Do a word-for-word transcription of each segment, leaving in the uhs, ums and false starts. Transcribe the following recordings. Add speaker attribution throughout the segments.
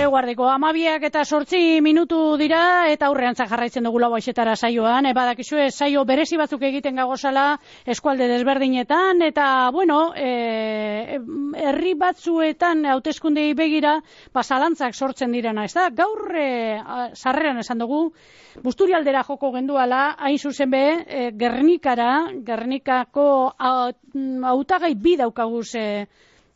Speaker 1: Eguardiko, amabiak eta sortzi minutu dira, eta aurreantzak jarraitzen dugu lau aixetara saioan, e, badakizue saio berezi batzuk egiten gagozala eskualde desberdinetan, eta, bueno, e, herri batzuetan hauteskundei begira, basalantzak sortzen direna, ez da? Gaur, e, sarreran esan dugu, Busturialdera joko genduala, hain zuzen be, e, Gernikara, Gernikako hautagai bi daukaguz e,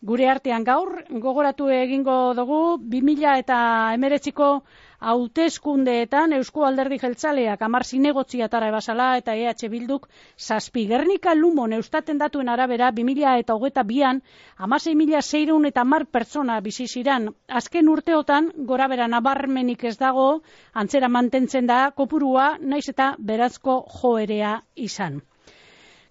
Speaker 1: gure artean gaur, gogoratu egingo dugu, bi mila eta hemeretziko hauteskundeetan Eusko Alderdi Jeltzaleak hamar zinegotziatara ebasala eta E H Bilduk zazpi. Gernika Lumon eustaten datuen arabera bi mila eta hogeita bian hamasei mila seiehun eta hamar pertsona bizi ziran. Azken urteotan gorabehera nabarmenik ez dago, antzera mantentzen da kopurua, naiz eta berazko joerea izan.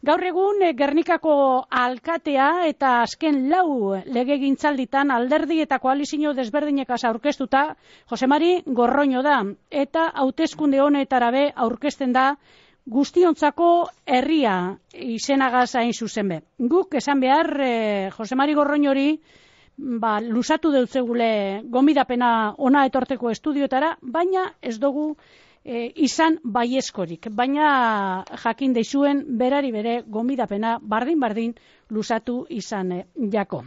Speaker 1: Gaur egun Gernikako alkatea eta azken lau legegintzalditan alderdi eta koalizio desberdinekaz aurkeztuta Jose Mari Gorroño da, eta hauteskunde honetara be aurkezten da guztiontzako herria izenagaz hain zuzen be. Guk esan behar eh, Jose Mari Gorroñori ba, lusatu deutzegule gomidapena ona etorteko estudioetara, baina ez dugu E, izan baiezkorik, baina jakin deizuen berari bere gomidapena bardin-bardin lusatu izan e, jako.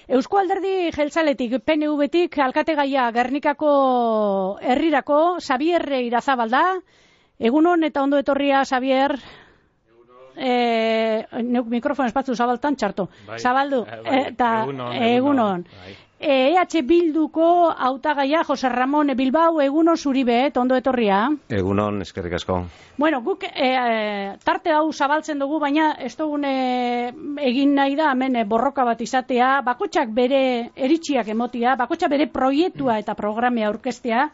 Speaker 1: Eusko Alderdi Jeltzaletik, P N V-tik, alkategaia Gernikako herrirako, Xabier Irazabal da. Egunon eta ondo etorria, Xabier. E, neuk mikrofon espatzu zabaltan txarto. Bai, zabaldu. Bai, eta egunon. egunon. egunon. Bai. E H Bilduko hautagaia Jose Ramon Bilbao, egunon zuribe, ondo etorria.
Speaker 2: Egunon, eskerrik asko.
Speaker 1: Bueno, guk e, tarte hau zabaltzen dugu, baina ez dugun e, egin nahi da, hemen e, borroka bat izatea, bakotxak bere eritxiak emotia, bakotxak bere proiektua eta programea aurkeztea,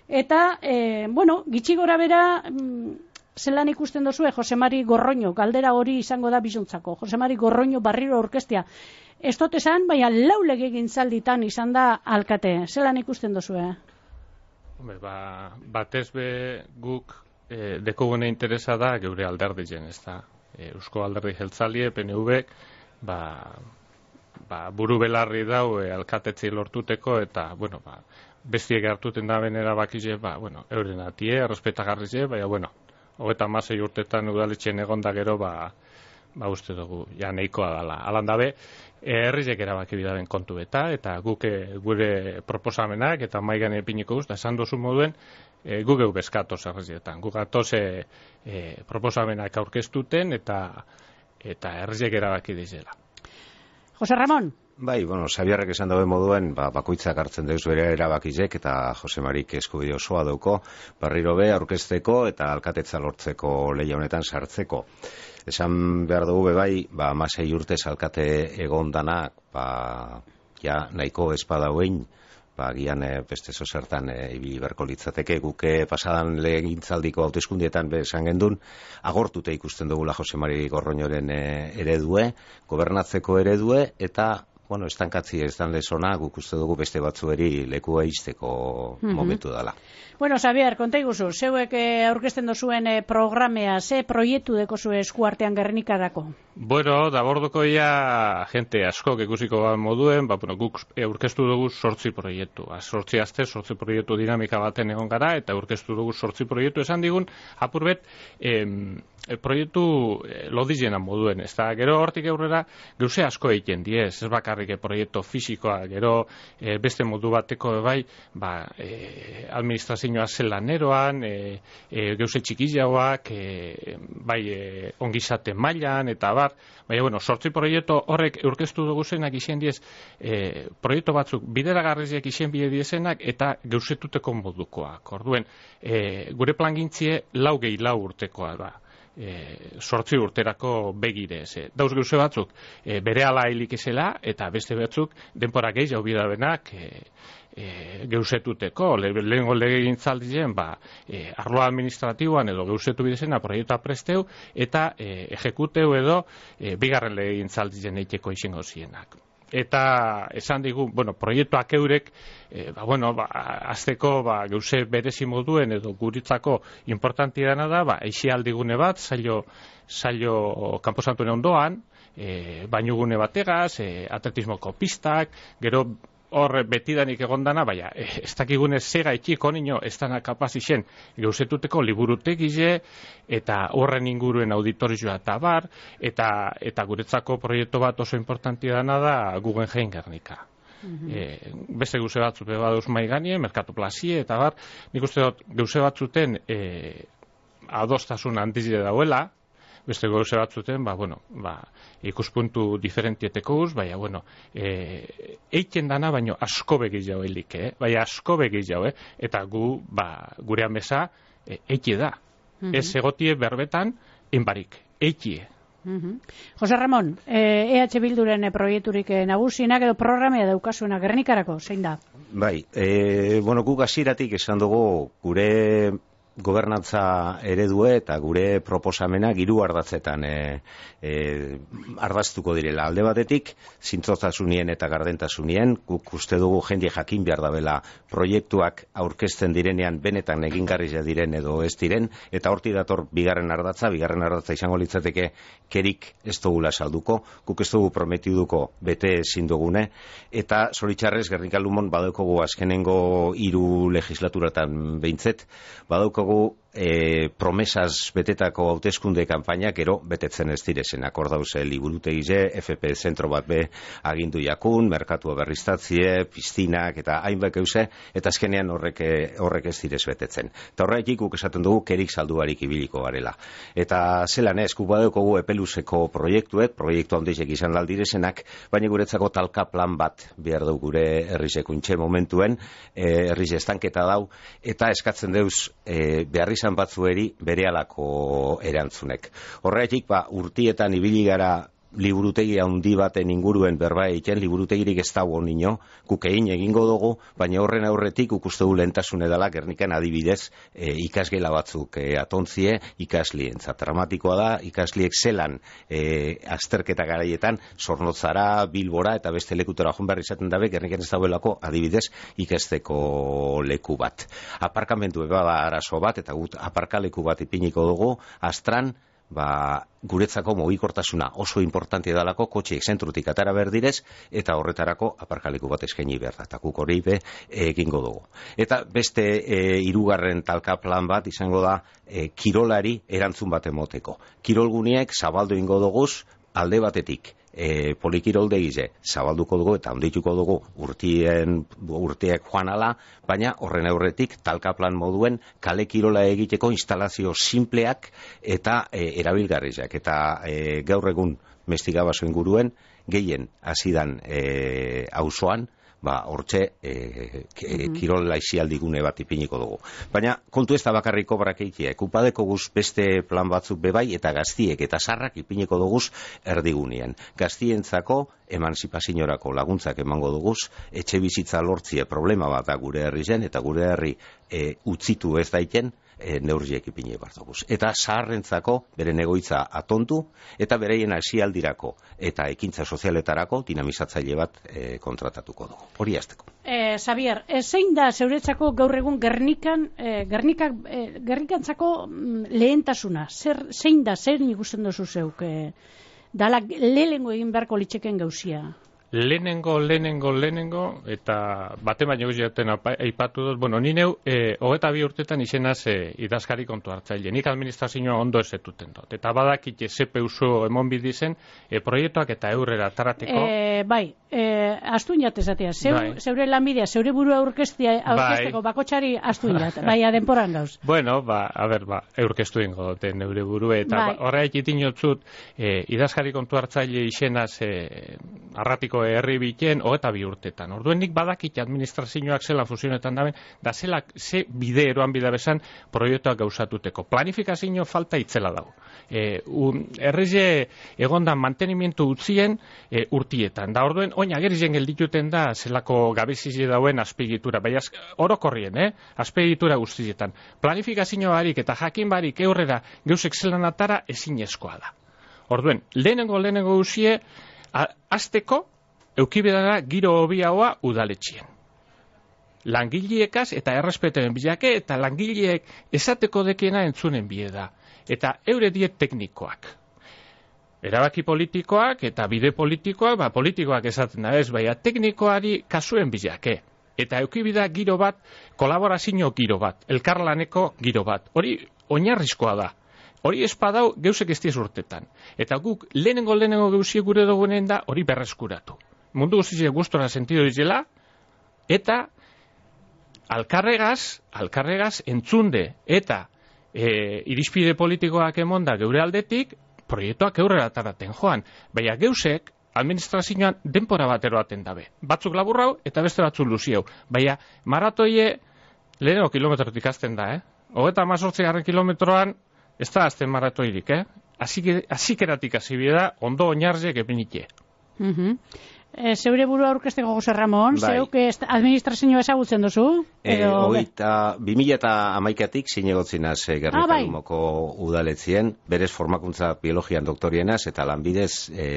Speaker 1: eta, e, bueno, gitxi gora bera, zelan ikusten duzue Jose Mari Gorroño, galdera hori izango da bizuntzako, Jose Mari Gorroño barriro aurkeztea. Ez dut esan, baina lau legegintzalditan izan da alkate. Zelan ikusten duzue?
Speaker 3: Hombre, ba, batez be guk e, dekogune interesa da geure alderdien, ez da. E, Eusko Alderdi Jeltzalie, P N V-ek, ba, ba, buru belarri dau e, alkatetzi lortuteko, eta, bueno, ba, bestiek hartuten da benera bakize, ba, bueno, euren atie, errespetagarrize, baina, bueno, hogeita hamasei urtetan udaletxen egonda gero, ba, ba uste dugu, ja nahikoa dala. Alan dabe, herriek erabaki bidaren kontu eta, eta guk gure proposamenak eta maigan epiniko guz, da esan dozu moduen, e, guk egu bezkatoz herrietan. Guk atoz e, e, proposamenak aurkeztuten eta eta herriek erabaki dizela.
Speaker 1: Jose Ramon.
Speaker 2: Bai, bueno, Xabierrek esan dabe moduen, ba, bakoitzak hartzen deuz bere erabakizek eta Jose Marik eskubide osoa dauko, barriro be aurkezteko eta alkatetza lortzeko lehia honetan sartzeko. Esan behar dugu bebai, ba, masei urtez alkate egon danak, ba, ja, nahiko espada hoein, ba, gian e, beste zozertan e, ibili berko litzateke, guke pasadan legintzaldiko hauteskundietan be esan gendun, agortute ikusten dugula Jose Mari Gorroñoren e, eredue, gobernatzeko eredue, eta bueno, estankatzi ez dan lezona, guk uste dugu beste batzueri lekua izteko mm-hmm. momentu dela.
Speaker 1: Bueno, Xabier, konta iguzu, zeuek aurkezten dozuen programea, ze proiektu deko zuen eskuartean Gernikarako?
Speaker 3: Bueno, da borduko ia gente asko ikusiko moduen, ba, bueno, guk aurkeztu dugu sortzi proiektu. Sortzi azte, sortzi proiektu dinamika baten egon gara, eta aurkeztu dugu sortzi proiektu esan digun, apurbet, em, proiektu lodizienan moduen, ez da, gero hortik aurrera, gauze asko egiten diez, ez bakarrik proiektu fisikoa, gero e, beste modu bateko bai, ba, e, administrazioa zelaneroan, e, e, gauze txikiagoak, e, bai, e, ongizate mailan, eta bar, baina, bueno, sortzi proiektu horrek aurkeztu dugu zenak izan diez, e, proiektu batzuk bideragarriziak izan bide diezenak, eta gauzetuteko modukoak, orduen, e, gure plangintzie lau gehi lau urtekoa da. E, sortzi urterako begirez. E, dauz gauze batzuk e, bere ala hilik ezela, eta beste batzuk denpora gehi jau bidabenak e, e, gauzetuteko. Le, lehenko legegintzaldien, ba, e, arloa administratiboan edo gauzetu bidezena proiektua presteu, eta e, ejekuteu edo e, bigarren legegintzaldien eiteko izango zienak. Eta esan digu, bueno, proiektuak eurek, e, ba, bueno, ba, azteko ba, gauze berezi moduen edo guritzako importanti dena da, ba, eixialdigune bat, zailo, zailo kanposantuen ondoan, e, bainugune bategaz, e, atletismoko pistak, gero hor betidanik egondana, baina ez dakigune zega itxiko nino ez dana kapaz isen gauzetuteko liburutegize eta horren inguruen auditorioa eta bar, eta, eta guretzako proiektu bat oso importantia dana da Guggenheim Gernika. Mm-hmm. E, beste gauze batzuk badoz mai ganie, Merkatu Plazie eta bar, nik uste dut gauze batzuten e, adostasun handize dauela, beste gauze batzuten, ba, bueno, ba, ikuspuntu diferentieteko uz, baina, bueno, e, eiken dana, baino asko begiz jau elik, eh? Baina asko begiz jau, eh? Eta gu, ba, gure amesa, e, eiki da. Mm-hmm. Ez egotie berbetan, enbarik, eikie.
Speaker 1: Mm-hmm. Jose Ramon, E H Bilduren proiekturik nagusinak edo programea daukasuena Gernikarako, zein da?
Speaker 2: Bai, e, bueno, guk hasieratik esan dugu gure gobernantza eredue eta gure proposamena hiru ardatzetan e, e, ardaztuko direla. Alde batetik, zintzotasunien eta gardentasunien, guk uste dugu jende jakin behar dabela proiektuak aurkezten direnean benetan egingarria diren edo ez diren, eta horti dator bigarren ardatza, bigarren ardatza izango litzateke kerik ez dugula salduko, guk ez dugu prometiduko bete ezin dugune, eta zoritxarrez Gernika Lumon badaukogu azkenengo hiru legislaturatan behintzet, badaukogu E, promesas betetako hauteskunde kanpaina gero betetzen ez direzenak. Hor dauze liburutegize, F P zentro bat be agindu jakun, merkatua berriztatzie, piztinak eta hainbat euse, eta azkenean horrek, horrek ez direz betetzen. Eta horretik guk esaten dugu kerik salduarik ibiliko garela. Eta zelan ez, guk badaukogu epeluzeko proiektuek, proiektu handizek izan aldirezenak, baina guretzako talka plan bat behar dugu gure herrizekuntxe momentuen, e, herriz estanketa dau, eta eskatzen deuz e, behar izan batzueri berehalako erantzunek. Horretik, ba, urtietan ibili gara liburutegi handi baten inguruen berba egiten, liburutegirik ez dago nino, guk egin egingo dugu, baina horren aurretik ukuste du lehentasune dela Gernikan adibidez e, ikasgela batzuk e, atontzie ikaslientzat. Dramatikoa da, ikasliek zelan e, azterketa garaietan Zornotzara, Bilbora eta beste lekutera joan behar izaten dabe, Gernikan ez dagoelako adibidez ikasteko leku bat. Aparkamentu eba da arazo bat, eta gut aparkaleku bat ipiniko dugu, Astran, ba, guretzako mugikortasuna oso importante dalako, kotxeek zentrutik atara berdidez, eta horretarako aparkaleku bat eskaini behar da, eta guk hori be egingo dugu. Eta beste e, hirugarren talka plan bat izango da e, kirolari erantzun bat emoteko. Kirolguniek zabaldu ingo duguz alde batetik. E, polikiroldegize zabalduko dugu eta ondituko dugu urtien, urteak joan ala, baina horren aurretik talka plan moduen kale kirola egiteko instalazio simpleak eta e, erabilgarriak. Eta e, gaur egun Mestigabaso inguruen gehien hasidan e, auzoan, ba, hortxe e, e, kirol laizialdigune bat ipiniko dugu. Baina kontu ez da bakarriko brakeikiek, upadeko guz beste plan batzuk bebai eta gaztiek eta sarrak ipiniko duguz erdigunien. Gaztientzako emanzipaziorako laguntzak emango duguz, etxe bizitza lortzie problema bat da gure herri zen, eta gure herri e, utzitu ez daiten, E, neurriek ipine bartoguz. Eta zaharrentzako beren egoitza atontu eta bereien hasialdirako eta ekintza sozialetarako dinamizatzaile bat e, kontratatuko dugu. Hori hasteko.
Speaker 1: Eh, Xavier, e, zein da zeuretzako gaur egun Gernikan, e, Gernikak, e, Gernikantzako lehentasuna? Zer, zein da, zer ikusten duzu zeuk? E, dala lehengo egin beharko litzeken gauzia?
Speaker 3: Lehenengo, lehenengo, lehenengo, eta bate baino guztiaten aipatu dut, bueno, ni neu, e, hogeta bi urtetan izenaz e, idazkari kontu hartzaile. Nik administrazioa ondo ezetuten dut. Eta badakit C P U eman bidizen, e, proiektuak eta eurrera tarateko.
Speaker 1: E, bai, e, astun jat esatea. Zeu, bai. Zeure lanbidea, zeure burua aurkeztea, aurkezteko bai. Bakotxari astun jat, bai, adenporan gauz.
Speaker 3: Bueno, ba, a ber, ba, aurkeztu ingo dute neure burue, eta bai. ba, horreik itinotzut, e, idazkari kontu hartzaile izenaz e, arratiko herri biten hogeta bi urtetan. Orduen nik badakit administrazioak zela fusionetan daben, da zela ze bide eroan bida bezan proiektuak gauzatuteko. Planifikazio falta itzela dago. E, un, errize egondan mantenimientu utzien e, urtietan. Da orduen, oin agerizen geldituten da zelako gabezize dauen azpiegitura. Baina orokorrien, eh? Azpiegitura guztietan. Planifikazio barik eta jakin barik eurrera geuzek zelan atara ezinezkoa da. Orduen, lehenengo lehenengo uzie, azteko eukibedara giro hobiagoa udaletxien. Langileekaz eta errespetaren bilake eta langileek esateko dekiena entzunen bie da. Eta eure diet teknikoak. erabaki politikoak eta bide politikoak, ba, politikoak esaten da ez, baina teknikoari kasuen bilake. Eta eukibida giro bat, kolaborazio giro bat, elkarlaneko giro bat. Hori oinarrizkoa da. Hori espadau geusek ez diez urtetan. Eta guk lehenengo lehenengo geusie gure dugunen da hori berreskuratu. Mundu guztiak gustora sentido dizela, eta alkarregaz, alkarregaz entzunde eta e, irizpide politikoak emonda geure aldetik, proiektuak eurrera taraten joan. Baina geusek, administrazioan denpora bat eroaten dabe. Batzuk laburrau eta beste batzuk luziau. Baina maratoie lehenengo kilometrotik azten da, eh? Hogeta amazortzi garren kilometroan ez da azten maratoirik, eh? Azikeratik azibida ondo oinarziek epinike.
Speaker 1: Uh-huh. E, zeure burua aurkezteko Jose Ramon, bai. Zeuk administrazioa ezagutzen duzu?
Speaker 2: E, Oita, bi mila eta hamaikatik zinegotzinaz e, Gernika-Lumoko ah, bai. Udaletzien, berez formakuntza biologian doktorienaz eta lanbidez e,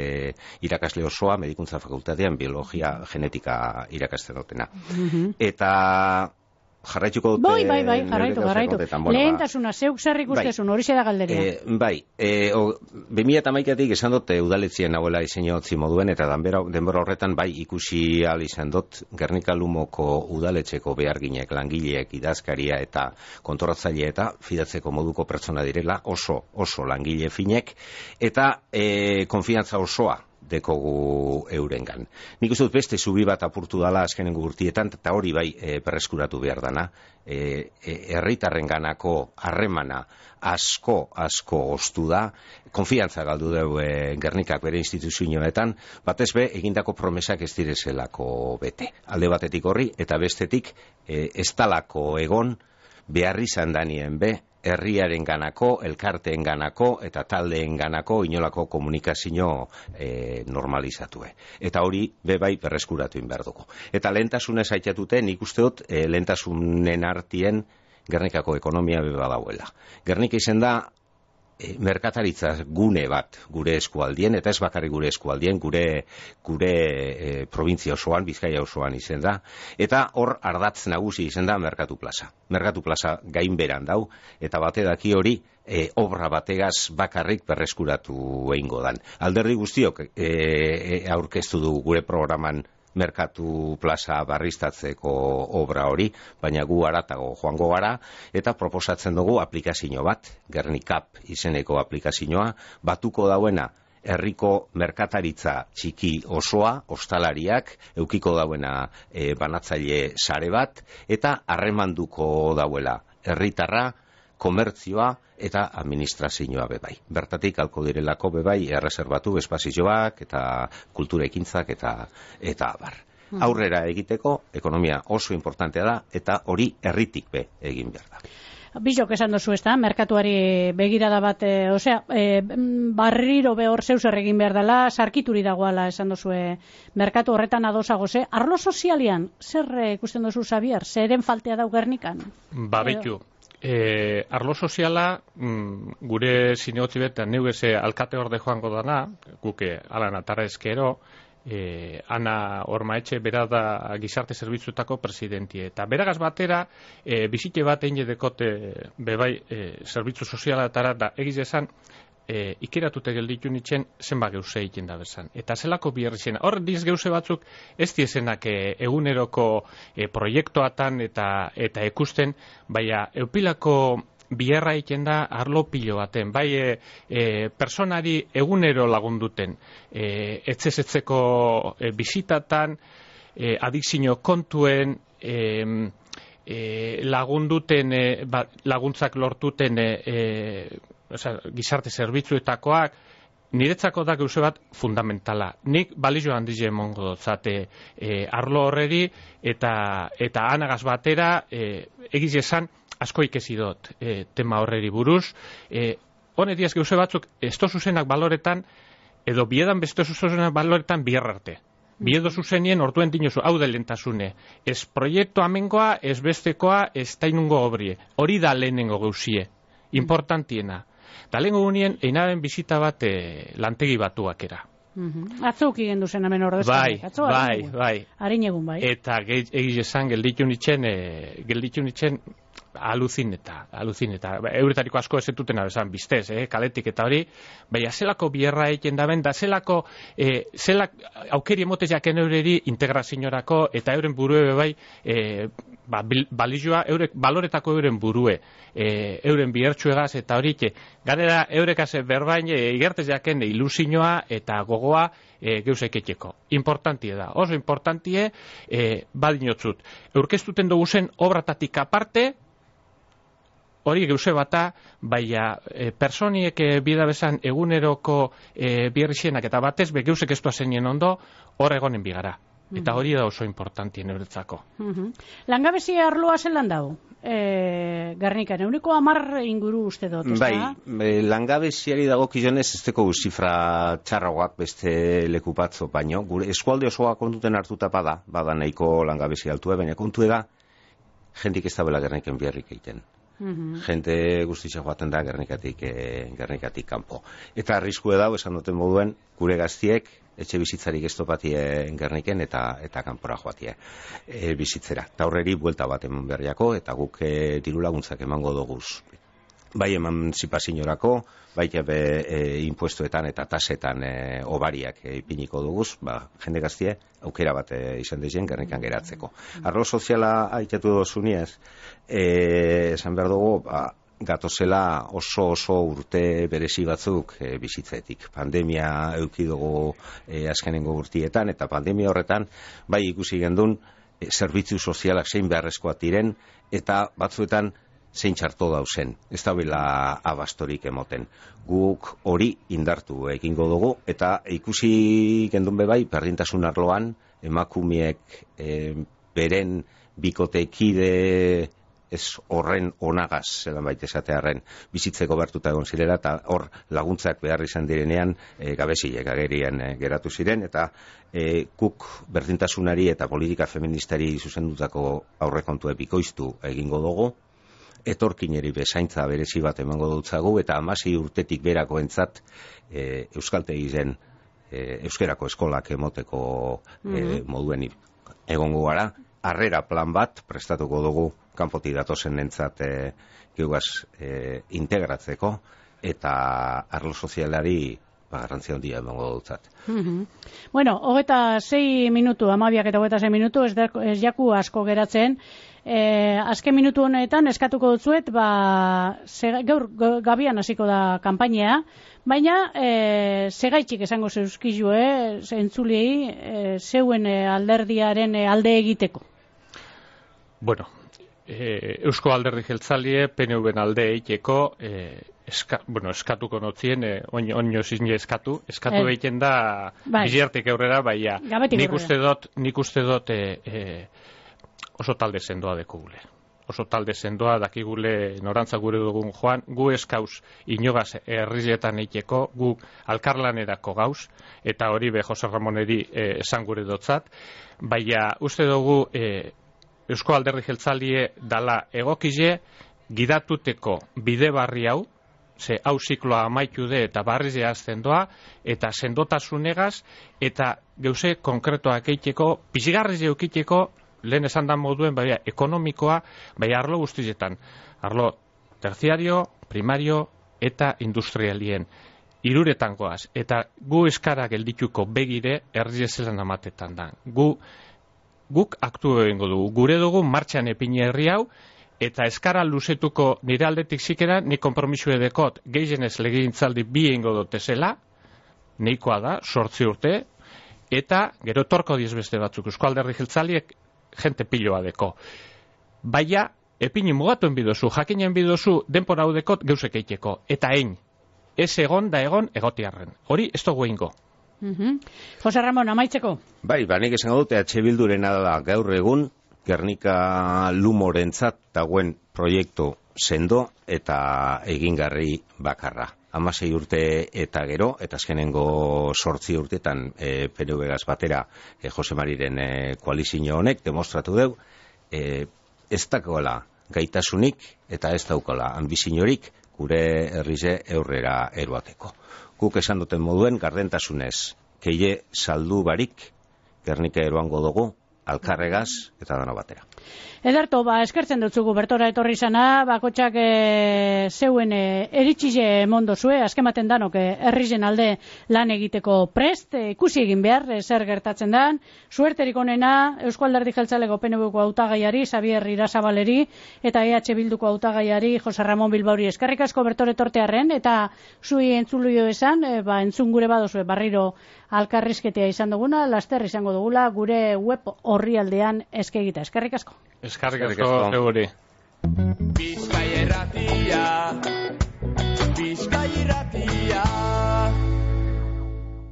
Speaker 2: irakasle osoa medikuntza fakultatean biologia genetika irakasten dutena. Uh-huh. Eta jarraituko dute...
Speaker 1: Bai, bai, bai, jarraitu, jarraitu. Bueno, lehentasuna, zeuk zer ikustezun, hori da galderia.
Speaker 2: E, bai, e, bi mila eta hamaikatik esan dut udaletzien hauela diseinotzi moduen, eta denbora, denbora horretan bai ikusi ahal izan dut Gernika-Lumoko udaletxeko beharginek, langileek, idazkaria eta kontoratzaile eta fidatzeko moduko pertsona direla oso, oso langile finek, eta e, konfiantza osoa dekogu eurengan. Nik uste dut beste zubi bat apurtu dala azkenengo urtietan, eta hori bai e, perreskuratu behar dana, e, e, herritarren ganako harremana asko, asko ostu da, konfiantza galdu deu e, Gernikak bere instituzioetan, batez be, egindako promesak ez direzelako bete. Alde batetik horri, eta bestetik e, ez talako egon, beharri zandanien be, herriaren ganako, elkarteen ganako eta taldeen ganako inolako komunikazio e, normalizatue. Eta hori bebai berreskuratu behar dugu. Eta lehentasunez aitatute, nik uste dut e, lehentasunen artien Gernikako ekonomia beba dauela. Gernika izen da E, merkataritza gune bat gure eskualdien, eta ez bakarrik gure eskualdien, gure, gure e, provintzia osoan, Bizkaia osoan izen da, eta hor ardatz nagusi izen da Merkatu Plaza. Merkatu Plaza gainberan dau, eta bate daki hori e, obra bategaz bakarrik berreskuratu egingo dan. Alderdi guztiok e, e, aurkeztu du gure programan Merkatu Plaza barriztatzeko obra hori, baina gu aratago joango gara, eta proposatzen dugu aplikazio bat, Gernikap izeneko aplikazioa, batuko dauena herriko merkataritza txiki osoa, ostalariak, eukiko dauena e, banatzaile sare bat, eta harremanduko dauela herritarra, komertzioa eta administrazioa bebai. Bertatik alko direlako bebai erreserbatu espazioak eta kultura ekintzak eta eta abar. Hmm. Aurrera egiteko ekonomia oso importantea da eta hori herritik be egin behar da.
Speaker 1: Bizok esan dozu ez da, merkatuari begirada bat, e, osea, e, barriro behor zeus erregin behar dela, sarkituri dagoala esan dozu e, merkatu horretan adosago ze. Arlo sozialian, zer ikusten dozu Xabier? Zeren faltea dau Gernikan?
Speaker 3: Ba, behitu. E, arlo soziala, mm, gure zinegotzi betan neugeze alkate horde joango dana, guke alan atarra ezkero, e, Ana Ormaetxe bera da gizarte zerbitzuetako presidentie. Eta beragaz batera, e, bizite bat egin dekote bebai e, zerbitzu sozialatara da egiz esan, E, ikeratute gelditu nitzen zenba geuse egiten da bezan. Eta zelako biherri zen. Hor diz geuse batzuk ez diezenak e, eguneroko e, proiektuatan eta eta ikusten, baina eupilako biherra egiten da arlo pilo baten. Bai e, e, personari egunero lagunduten. E, etzezetzeko e, bizitatan, e, adikzio kontuen, e, e, lagunduten, e, ba, laguntzak lortuten e, e, Osa, gizarte zerbitzuetakoak, niretzako da geuse bat fundamentala. Nik balizio handize emongo dotzate e, arlo horreri eta eta anagaz batera e, egiz esan asko ikesi dut e, tema horreri buruz. E, Honetiaz geuse batzuk esto zuzenak baloretan edo biedan beste zuzenak baloretan biherrarte. Biedo zuzenien orduen dinozu, hau da lehentasune. Ez proiektu amengoa, ez bestekoa, ez tainungo obrie. Hori da lehenengo geusie. Importantiena. Da lehenko gunien, einaren bizita bat e, lantegi batuak era.
Speaker 1: Uh-huh. Atzuk igen duzen hemen ordezkan.
Speaker 3: Bai,
Speaker 1: Atzo,
Speaker 3: bai, bai.
Speaker 1: Harin egun, bai.
Speaker 3: Eta egiz esan gelditu nitzen, e, gelditu nitzen, aluzineta, aluzineta. Euretariko asko ez dutena besan biztez, eh, kaletik eta hori, baina zelako bierra egiten daben, da zelako, eh, zelak aukeri emote jaken eureri integraziorako eta euren burue bai, eh, ba, balizioa, eurek, baloretako euren burue, eh, euren bihertsuegaz eta horik, garera eurekaz berbain, eh, igertez jaken ilusioa eta gogoa, E, geuzeketxeko. Importantie da, oso importantie, e, badinotzut. Eurkeztuten dugu zen obratatik aparte, hori geuze bata, baina e, personiek e, bida bezan eguneroko e, bierrixenak eta batez, be geuzek estua zenien ondo, hor egonen bigara. Eta hori da oso importantien euretzako.
Speaker 1: Uh-huh. Langabezia arloa zelan dago? E, Gernikan, euneko amar inguru uste dut, ez da?
Speaker 2: Bai, langabeziari dago kizionez ez teko zifra txarragoak beste leku batzo baino. Gure eskualde osoa kontuten hartuta bada, bada nahiko langabezia altua, baina kontu da, jentik ez da bela Gerniken biharrik egiten. Uh-huh. Jente guztitza joaten da Gernikatik, e, Gernikatik kanpo. Eta arriskue dago, esan duten moduen, gure gaztiek, etxe bizitzarik ez topatie Gerniken eta eta kanpora joatie e, bizitzera. Ta horreri buelta bat eman berriako eta guk e, diru laguntzak emango doguz. Bai emantzipazioarako, bai be e, impuestoetan eta tasetan e, obariak e, ipiniko duguz, ba, jende gaztie aukera bat e, izan dezen Gernikan geratzeko. Arlo soziala aitatu dozuniez, e, esan behar dugu, ba, gatozela oso oso urte berezi batzuk e, bizitzetik. Pandemia eduki dugu e, azkenengo urtietan, eta pandemia horretan bai ikusi gendun e, zerbitzu sozialak zein beharrezkoak diren, eta batzuetan zein txarto dauzen. Ez da bila abastorik emoten. Guk hori indartu egingo dugu, eta ikusi gendun bebai, berdintasun arloan, emakumeek e, beren bikotekide ez horren onagaz, zelan baita esatearen, bizitzeko bertuta egon zirela, eta hor laguntzak behar izan direnean e, gabeziek agerian e, geratu ziren, eta e, guk berdintasunari eta politika feministari zuzendutako aurrekontu bikoiztu egingo dugu, etorkineri bezaintza berezi bat emango dutzagu, eta hamasei urtetik berako entzat e, euskaltegi zen e, euskerako eskolak emoteko e, moduen egongo gara, harrera plan bat prestatuko dugu kanpotik datozen nentzat e, geugaz e, integratzeko, eta arlo sozialari ba, garrantzia handia emango dutzat.
Speaker 1: Uh-huh. Bueno, hogeta sei minutu, amabiak eta hogeta sei minutu, ez, da, ez jaku asko geratzen. E, azken minutu honetan eskatuko dutzuet, ba, ze, gaur gabian hasiko da kanpainea, baina e, segaitxik esango zeuzkizu, eh, entzulei, e, zeuen e, alderdiaren e, alde egiteko.
Speaker 3: Bueno, e, Eusko Alderdi Jeltzalie, P N V-en alde egiteko, e, eska, bueno, eskatuko notzien, e, oino, oino zizne eskatu, eskatu eh. egiten da bai. Biziartik aurrera, baina nik uste dut, nik uste dut e, e, oso talde sendoa dekugule. Oso talde sendoa dakigule norantza gure dugun joan, gu eskauz inogaz herrizetan eiteko, gu alkarlanerako gauz, eta hori be Jose Ramoneri e, esan gure dotzat, baina uste dugu e, Eusko Alderdi Jeltzalie dala egokize gidatuteko bide barri hau, ze hau zikloa amaitu de eta barriz jazten doa, eta sendotasunegaz, eta geuse konkretoak eiteko, bizigarriz eukiteko, lehen esan da moduen, baina ekonomikoa, baina arlo guztietan, arlo terziario, primario eta industrialien. Hiruretan goaz, eta gu eskara geldituko begire erriezelan amatetan da. Gu Guk aktu egingo dugu, gure dugu martxan epine herri hau, eta eskara luzetuko nire aldetik zikera, ni kompromisu edekot gehienez legegintzaldi bi egingo dutezela, neikoa da, sortzi urte, eta gero torko diez beste batzuk, Eusko Alderdi Jeltzaliek jente piloa deko. Baina, epini mugatuen bidozu, jakinen bidozu, denpora hau dekot geusek eiteko, eta ein, ez egon da egon egotiarren. Hori, ez dugu egingo.
Speaker 1: Uh-huh. Jose Ramon, amaitzeko?
Speaker 2: Bai, ba, nik esan dute, H Bildurena da gaur egun, Gernika Lumorentzat dagoen proiektu sendo eta egingarri bakarra. Hamasei urte eta gero, eta azkenengo sortzi urtetan e, P N V-gaz batera e, Jose Mariren e, koalizio honek demostratu deu, e, ez dakoela gaitasunik eta ez daukola ambiziorik gure herrize aurrera eroateko. Guk esan duten moduen gardentasunez, keie saldu barik, Gernika eroango dugu, alkarregaz eta dano batera.
Speaker 1: Ederto, ba, eskertzen dutzugu bertora etorri izana, bakotxak e, zeuen e, eritxize mondo zue, azkematen danok e, herrizen alde lan egiteko prest, e, ikusi egin behar, e, zer gertatzen dan, suerterik onena, Eusko Alderdi Jeltzaleko P N Vko hautagaiari, Xabier Irazabaleri, eta E H Bilduko hautagaiari, Jose Ramon Bilbauri, eskerrik asko bertore etortearren, eta zui entzulio esan, e, ba, entzun gure badozue barriro alkarrizketea izan duguna, laster izango dugula, gure web orrialdean eskegita, eskerrik asko.
Speaker 3: Eskarrik asko zeuri.
Speaker 4: Bizkai erratia, Bizkai erratia.